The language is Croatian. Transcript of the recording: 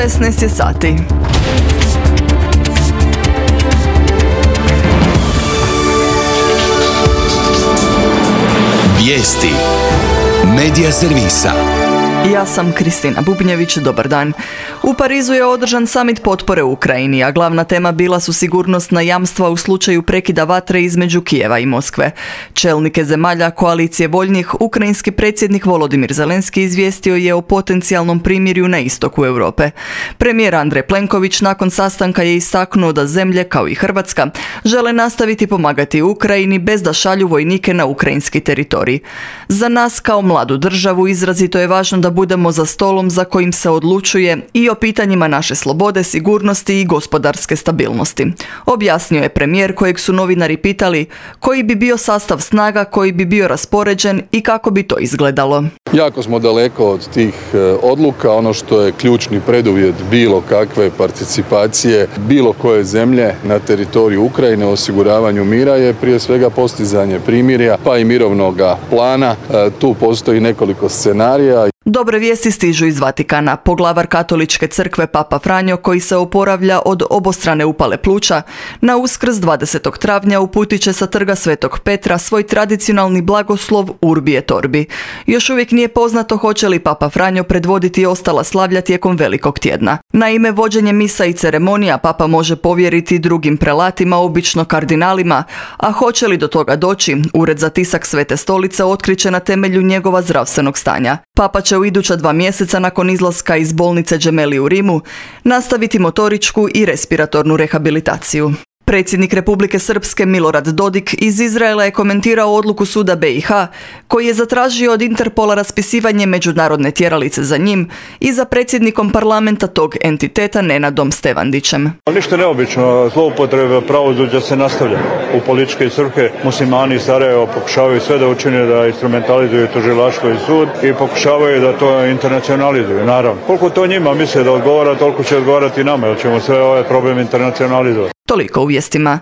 16 je sati. Vijesti Medija servisa. Ja sam Kristina Bubnjević, dobar dan. U Parizu je održan samit potpore Ukrajini, a glavna tema bila su sigurnosna jamstva u slučaju prekida vatre između Kijeva i Moskve. Čelnike zemalja koalicije voljnih, ukrajinski predsjednik Volodimir Zelenski izvijestio je o potencijalnom primirju na istoku Europe. Premijer Andrej Plenković nakon sastanka je istaknuo da zemlje, kao i Hrvatska, žele nastaviti pomagati Ukrajini bez da šalju vojnike na ukrajinski teritorij. Za nas kao mladu državu izrazito je važno da budemo za stolom za kojim se odlučuje i o pitanjima naše slobode, sigurnosti i gospodarske stabilnosti. Objasnio je premijer kojeg su novinari pitali koji bi bio sastav snaga koji bi bio raspoređen i kako bi to izgledalo. Jako smo daleko od tih odluka. Ono što je ključni preduvjet bilo kakve participacije bilo koje zemlje na teritoriju Ukrajine, osiguravanju mira je prije svega postizanje primirja pa i mirovnoga plana. Tu postoji nekoliko scenarija. Dobre vijesti stižu iz Vatikana. Poglavar Katoličke crkve Papa Franjo, koji se oporavlja od obostrane upale pluća, na Uskrs 20. travnja uputit će sa trga Svetog Petra svoj tradicionalni blagoslov Urbi et Orbi. Još uvijek nije poznato hoće li Papa Franjo predvoditi ostala slavlja tijekom Velikog tjedna. Naime, vođenje misa i ceremonija Papa može povjeriti drugim prelatima, obično kardinalima, a hoće li do toga doći, Ured za tisak Svete stolice otkriće na temelju njegova zdravstvenog stanja. Papa će u iduća 2 mjeseca nakon izlaska iz bolnice Gemelli u Rimu nastaviti motoričku i respiratornu rehabilitaciju. Predsjednik Republike Srpske Milorad Dodik iz Izraela je komentirao odluku suda BiH koji je zatražio od Interpola raspisivanje međunarodne tjeralice za njim i za predsjednikom parlamenta tog entiteta Nenadom Stevandićem. Ništa neobično, zloupotreba pravosuđa se nastavlja. U političke svrhe muslimani iz Sarajeva pokušavaju sve da učine da instrumentalizuju tužilaštvo i sud i pokušavaju da to internacionalizuju, naravno. Koliko to njima misle da odgovara, toliko će odgovarati nama, jer ćemo sve ove probleme internacionalizovati. Toliko u vijestima.